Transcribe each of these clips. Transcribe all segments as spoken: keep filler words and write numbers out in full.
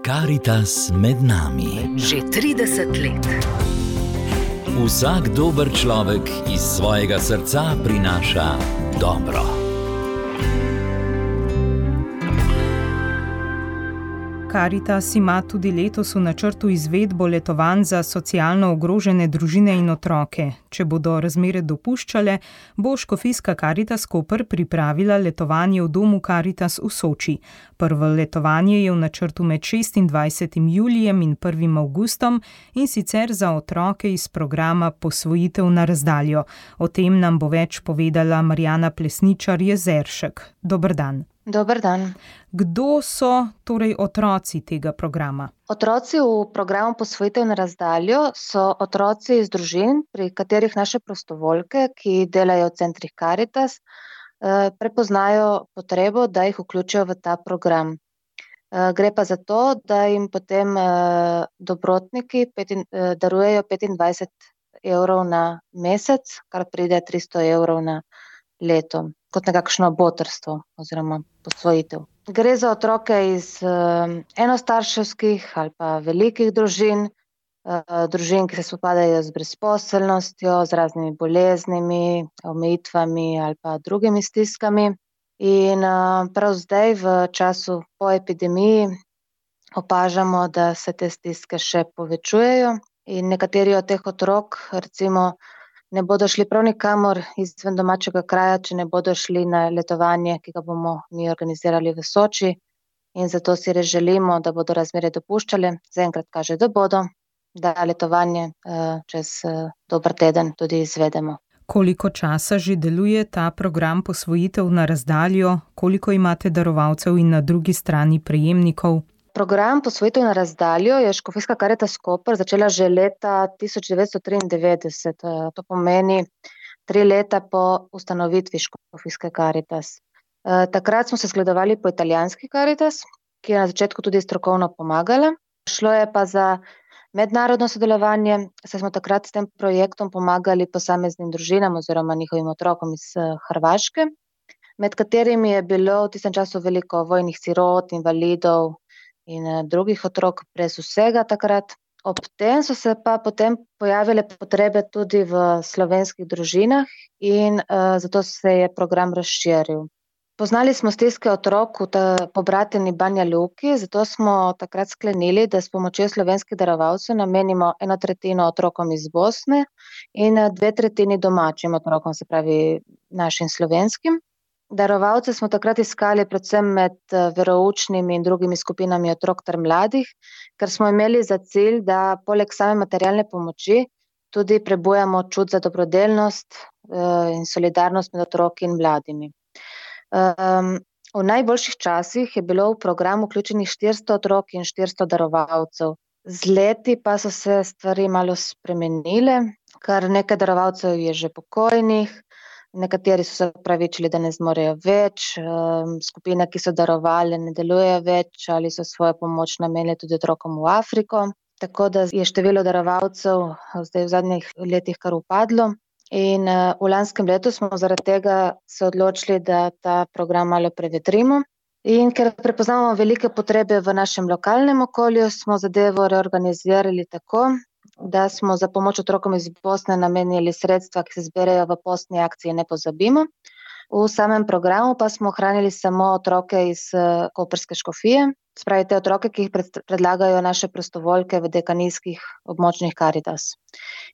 Karitas med nami. Že trideset let. Vsak dober človek iz svojega srca prinaša dobro. Karitas ima tudi letos v načrtu izvedbo letovanj za socialno ogrožene družine in otroke. Če bodo razmere dopuščale, bo škofijska Karitas Koper pripravila letovanje v domu Karitas v Soči. Prvo letovanje je v načrtu med šestindvajsetim julijem in prvim avgustom in sicer za otroke iz programa Posvojitev na razdaljo. O tem nam bo več povedala Marjana Plesničar-Jezeršek. Dober dan. Dober dan. Kdo so torej otroci tega programa? Otroci v programu Posvojitev na razdaljo so otroci iz družin, pri katerih naše prostovoljke, ki delajo v centrih Karitas, prepoznajo potrebo, da jih vključijo v ta program. Gre pa za to, da jim potem dobrotniki darujejo petindvajset evrov na mesec, kar pride tristo evrov na leto, kot nekakšno botrstvo oziroma posvojitev. Gre za otroke iz enostarševskih ali pa velikih družin, družin, ki se spopadajo z brezposelnostjo, z raznimi boleznimi, omejitvami ali pa drugimi stiskami. In prav zdaj v času po epidemiji opažamo, da se te stiske še povečujejo in nekateri od teh otrok recimo ne bodo šli prav nikamor izven domačega kraja, če ne bodo šli na letovanje, ki ga bomo mi organizirali v Soči. In zato si res želimo, da bodo razmere dopuščale. Zaenkrat kaže, da bodo, da letovanje čez dober teden tudi izvedemo. Koliko časa že deluje ta program Posvojitev na razdaljo? Koliko imate darovalcev in na drugi strani prejemnikov? Program Posvojitev na razdaljo je škofijska Karitas Koper začela že leta tisoč devetsto triindevetdeset. To pomeni tri leta po ustanovitvi škofijske Karitas. Takrat smo se zgledovali po italijanski Karitas, ki je na začetku tudi strokovno pomagala. Šlo je pa za mednarodno sodelovanje, saj smo takrat s tem projektom pomagali posameznim družinam oziroma njihovim otrokom iz Hrvaške, med katerimi je bilo v tistem času veliko vojnih sirot, invalidov in drugih otrok brez vsega takrat. Ob tem so se pa potem pojavile potrebe tudi v slovenskih družinah in uh, zato se je program razširil. Poznali smo stiske otrok v pobrateni Banja Luki, zato smo takrat sklenili, da s pomočjo slovenskih darovalcev namenimo eno tretjino otrokom iz Bosne in dve tretjini domačim otrokom, se pravi našim slovenskim. Darovalce smo takrat iskali predvsem med veroučnimi in drugimi skupinami otrok ter mladih, ker smo imeli za cilj, da poleg same materialne pomoči tudi prebujamo čut za dobrodelnost in solidarnost med otroki in mladimi. V najboljših časih je bilo v program vključenih štiristo otrok in štiristo darovalcev. Z leti pa so se stvari malo spremenile, kar nekaj darovalcev je že pokojnih. Nekateri so se opravičili, da ne zmorejo več, skupine, ki so darovali, ne delujejo več ali so svojo pomoč namenili tudi otrokom v Afriko. Tako da je število darovalcev zdaj v zadnjih letih kar upadlo. In v lanskem letu smo zaradi tega se odločili, da ta program malo prevetrimo. In ker prepoznamo velike potrebe v našem lokalnem okolju, smo zadevo reorganizirali tako, da smo za pomoč otrokom iz Bosne namenili sredstva, ki se zberejo v postni akciji Ne pozabimo. V samem programu pa smo ohranili samo otroke iz koprske škofije, spravi te otroke, ki jih predlagajo naše prostovoljke v dekanijskih območnih Karitas.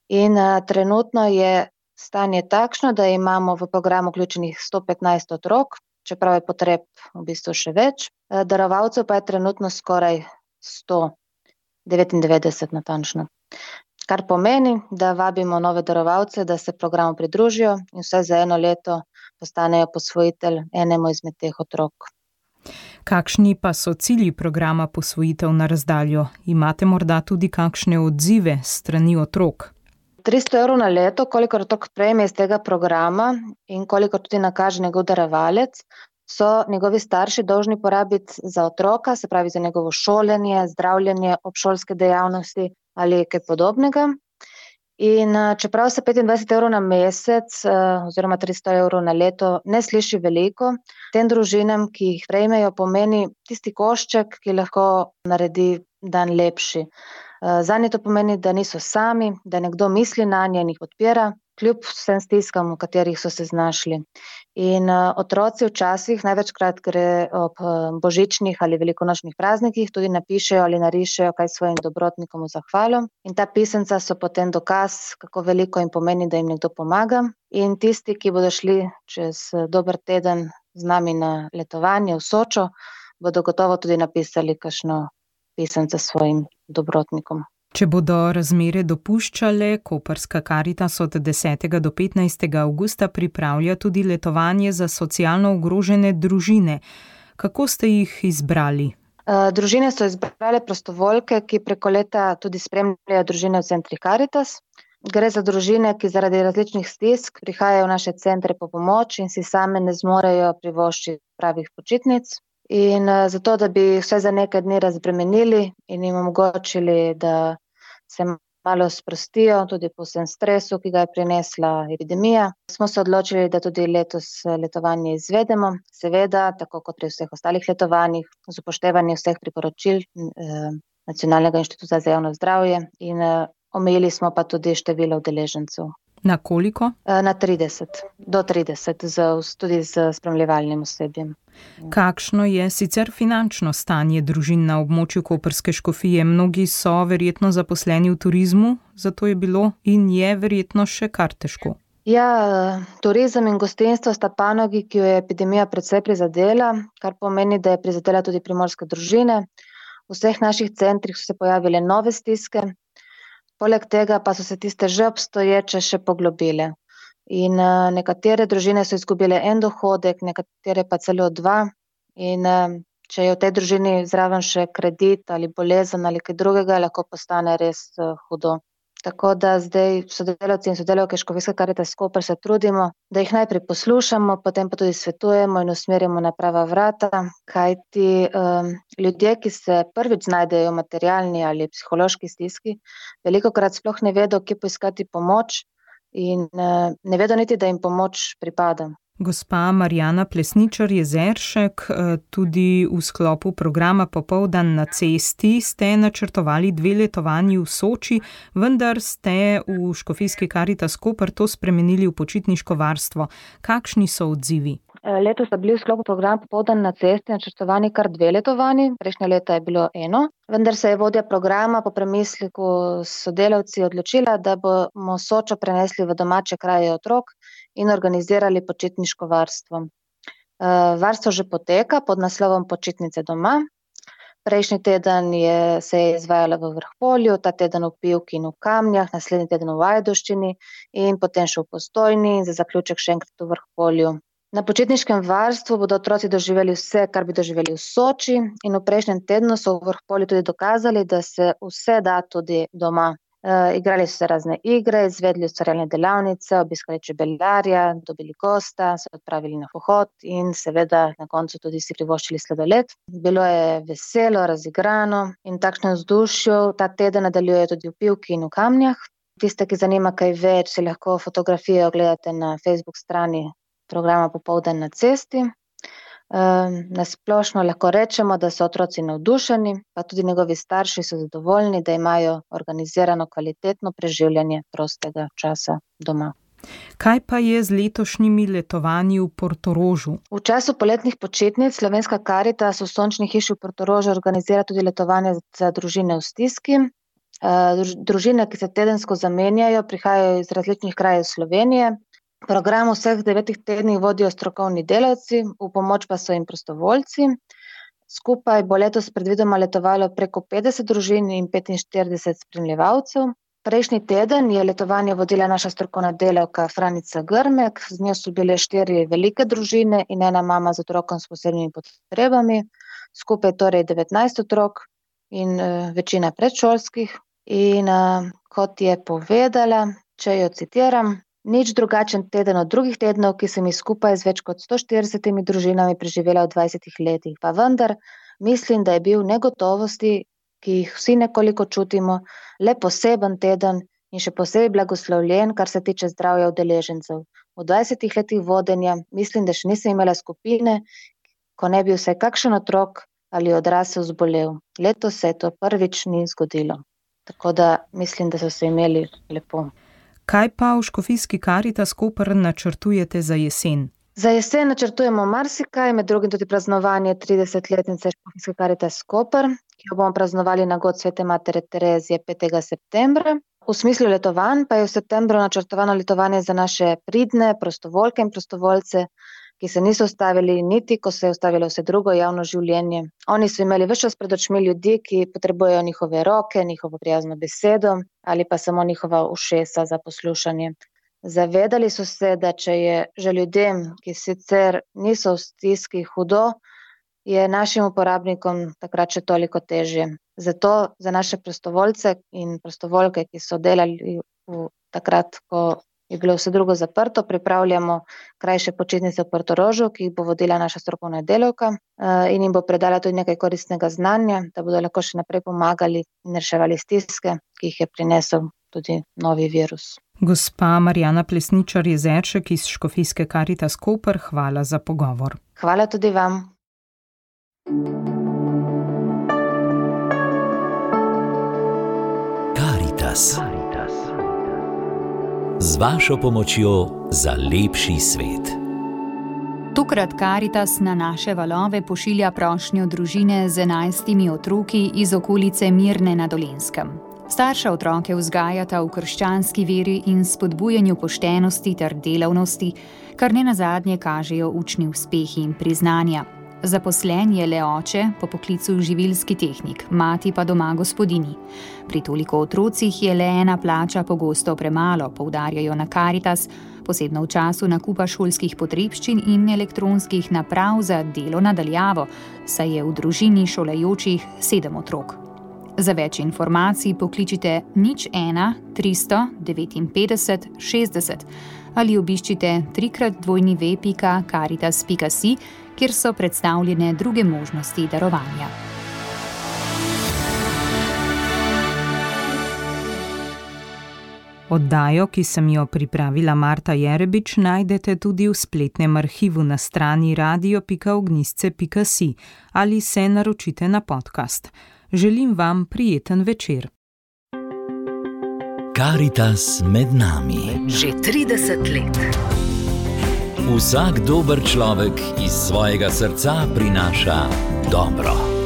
In a, trenutno je stanje takšno, da imamo v programu vključenih sto petnajst otrok, čeprav je potreb v bistvu še več. Darovalcev pa je trenutno skoraj sto devetindevetdeset natančno. Kar pomeni, da vabimo nove darovalce, da se programu pridružijo in vsaj za eno leto postanejo posvojitelj enemu izmed teh otrok. Kakšni pa so cilji programa Posvojitev na razdaljo? Imate morda tudi kakšne odzive s strani otrok? tristo evrov na leto, kolikor otrok prejme iz tega programa in kolikor tudi nakaže njegov darovalec, so njegovi starši dolžni porabiti za otroka, se pravi za njegovo šolanje, zdravljenje, obšolske dejavnosti ali kaj podobnega. In čeprav se petindvajset evrov na mesec oziroma tristo evrov na leto ne sliši veliko, tem družinam, ki jih prejmejo, pomeni tisti košček, ki lahko naredi dan lepši. Zanje to pomeni, da niso sami, da nekdo misli nanje in jih podpira, kljub vsem stiskam, v katerih so se znašli. In otroci včasih, največkrat gre ob božičnih ali velikonočnih praznikih, tudi napišejo ali narišejo kaj svojim dobrotnikom v zahvalo. In ta pisemca so potem dokaz, kako veliko jim pomeni, da jim nekdo pomaga. In tisti, ki bodo šli čez dober teden z nami na letovanje v Sočo, bodo gotovo tudi napisali kakšno pisemce svojim dobrotnikom. Če bodo razmere dopuščale, Koprska Karitas od desetega do petnajstega avgusta pripravlja tudi letovanje za socialno ogrožene družine. Kako ste jih izbrali? Družine so izbrale prostovoljke, ki preko leta tudi spremljajo družine v centrih Karitas. Gre za družine, ki zaradi različnih stisk prihajajo v naše centre po pomoč in si same ne zmorejo privoščiti pravih počitnic. In zato, da bi vse za nekaj dni razbremenili in jim omogočili, da se malo sprostijo, tudi po vsem stresu, ki ga je prinesla epidemija, smo se odločili, da tudi letos letovanje izvedemo. Seveda, tako kot pri vseh ostalih letovanjih, z upoštevanjem vseh priporočil eh, Nacionalnega inštituta za javno zdravje in eh, omejili smo pa tudi število udeležencev. Na koliko? Na trideset, do trideset, z, tudi z spremljevalnim osebjem. Kakšno je sicer finančno stanje družin na območju Koprske škofije? Mnogi so verjetno zaposleni v turizmu, zato je bilo in je verjetno še kar težko. Ja, turizem in gostinstvo sta panogi, ki jo je epidemija precej prizadela, kar pomeni, da je prizadela tudi primorske družine. V vseh naših centrih so se pojavile nove stiske. Poleg tega pa so se tiste že obstoječe še poglobile. In uh, nekatere družine so izgubile en dohodek, nekatere pa celo dva. In uh, če je v tej družini zraven še kredit ali bolezen ali kaj drugega, lahko postane res uh, hudo. Tako da zdaj sodelavci in sodelavke Škofijske Karitas Koper se trudimo, da jih najprej poslušamo, potem pa tudi svetujemo in usmerjamo na prava vrata, kajti um, ljudje, ki se prvič znajdejo v materialni ali psihološki stiski, velikokrat sploh ne vedo, kje poiskati pomoč in uh, ne vedo niti, da jim pomoč pripada. Gospa Marjana Plesničar-Jezeršek, tudi v sklopu programa Popoldan na cesti ste načrtovali dve letovanji v Soči, vendar ste v Škofijski Karitas Koper to spremenili v počitniško varstvo. Kakšni so odzivi? Letos sta bili v sklopu programa Popoldan na cesti načrtovani kar dve letovanji, prejšnje leta je bilo eno, vendar se je vodja programa po premisleku s sodelavci odločila, da bomo Sočo prenesli v domače kraje otrok in organizirali počitniško varstvo. Varstvo že poteka pod naslovom Počitnice doma. Prejšnji teden je, se je izvajala v Vrhpolju, ta teden v Pivki in v Kamnjah, naslednji teden v Ajdovščini in potem še v Postojni in za zaključek še enkrat v Vrhpolju. Na počitniškem varstvu bodo otroci doživeli vse, kar bi doživeli v Soči, in v prejšnjem tednu so v Vrhpolju tudi dokazali, da se vse da tudi doma. E, igrali so se razne igre, izvedli ustvarjalne delavnice, obiskali čebelarja, dobili gosta, se odpravili na pohod in seveda na koncu tudi si privoščili sladoled. Bilo je veselo, razigrano in takšno vzdušje ta teden nadaljujejo tudi v Pivki in v Kamnjah. Tiste, ki zanima kaj več, si lahko fotografije ogledate na Facebook strani programa Popoldan na cesti. Na splošno lahko rečemo, da so otroci navdušeni, pa tudi njegovi starši so zadovoljni, da imajo organizirano kvalitetno preživljanje prostega časa doma. Kaj pa je z letošnjimi letovanji v Portorožu? V času poletnih počitnic Slovenska Karitas v Sončni hiši v Portorožu organizira tudi letovanje za družine v stiski. Družine, ki se tedensko zamenjajo, prihajajo iz različnih krajev Slovenije. Program vseh devetih tednih vodijo strokovni delavci, v pomoč pa so jim prostovoljci. Skupaj bo letos predvidoma letovalo preko petdeset družin in petinštirideset spremljevalcev. Prejšnji teden je letovanje vodila naša strokovna delavka Franica Grmek, z njo so bile štiri velike družine in ena mama z otrokom s posebnimi potrebami. Skupaj torej devetnajst otrok in uh, večina predšolskih. In uh, kot je povedala, če jo citiram, nič drugačen teden od drugih tednov, ki sem jih skupaj z več kot sto štiridesetimi družinami preživela v dvajsetih letih. Pa vendar mislim, da je bil negotovosti, ki jih vsi nekoliko čutimo, le poseben teden in še posebej blagoslovljen, kar se tiče zdravja udeležencev. V dvajsetih letih vodenja mislim, da še nisem imela skupine, ko ne bi vsaj kakšen otrok ali odrasel zbolel. Letos se to prvič ni zgodilo. Tako da mislim, da so se imeli lepo. Kaj pa v Škofijski Karitas Koper načrtujete za jesen? Za jesen načrtujemo marsikaj, med drugim tudi praznovanje tridesetletnice Škofijske Karitas Koper, ki jo bomo praznovali na god Svete matere Terezije petega septembra. V smislu letovanj pa je v septembru načrtovano letovanje za naše pridne prostovoljke in prostovoljce, ki se niso ustavili niti, ko se je ustavilo vse drugo javno življenje. Oni so imeli ves čas pred očmi ljudi, ki potrebujejo njihove roke, njihovo prijazno besedo ali pa samo njihova ušesa za poslušanje. Zavedali so se, da če je že ljudem, ki sicer niso v stiski, hudo, je našim uporabnikom takrat še toliko težje. Zato za naše prostovoljce in prostovoljke, ki so delali v takrat, ko je bilo vse drugo zaprto, pripravljamo krajše počitnice v Portorožu, ki jih bo vodila naša strokovna delavka in jim bo predala tudi nekaj koristnega znanja, da bodo lahko še naprej pomagali in reševali stiske, ki jih je prinesel tudi novi virus. Gospa Marjana Plesničar-Jezeršek iz Škofijske Karitas Koper, hvala za pogovor. Hvala tudi vam. Karitas. Z vašo pomočjo za lepši svet. Tokrat Karitas na naše valove pošilja prošnjo družine z enajstimi otroki iz okolice Mirne na Dolenjskem. Starša otroke vzgajata v krščanski veri in spodbujanju poštenosti ter delavnosti, kar ne nazadnje kažejo učni uspehi in priznanja. Zaposlen je le oče, po poklicu živilski tehnik, mati pa doma gospodinji. Pri toliko otrocih je le ena plača pogosto premalo, poudarjajo na Karitas, posebno v času nakupa šolskih potrebščin in elektronskih naprav za delo na daljavo, saj je v družini šolajočih sedem otrok. Za več informacij pokličite nič ena tristo devetinpetdeset šestdeset ali obiščite trikrat dvojni ve pika karitas pika si, kjer so predstavljene druge možnosti darovanja. Oddajo, ki sem jo pripravila Marta Jerebič, najdete tudi v spletnem arhivu na strani radio pika ognjisce pika si ali se naročite na podcast. Želim vam prijeten večer. Karitas med nami. Že trideset let. Vsak dober človek iz svojega srca prinaša dobro.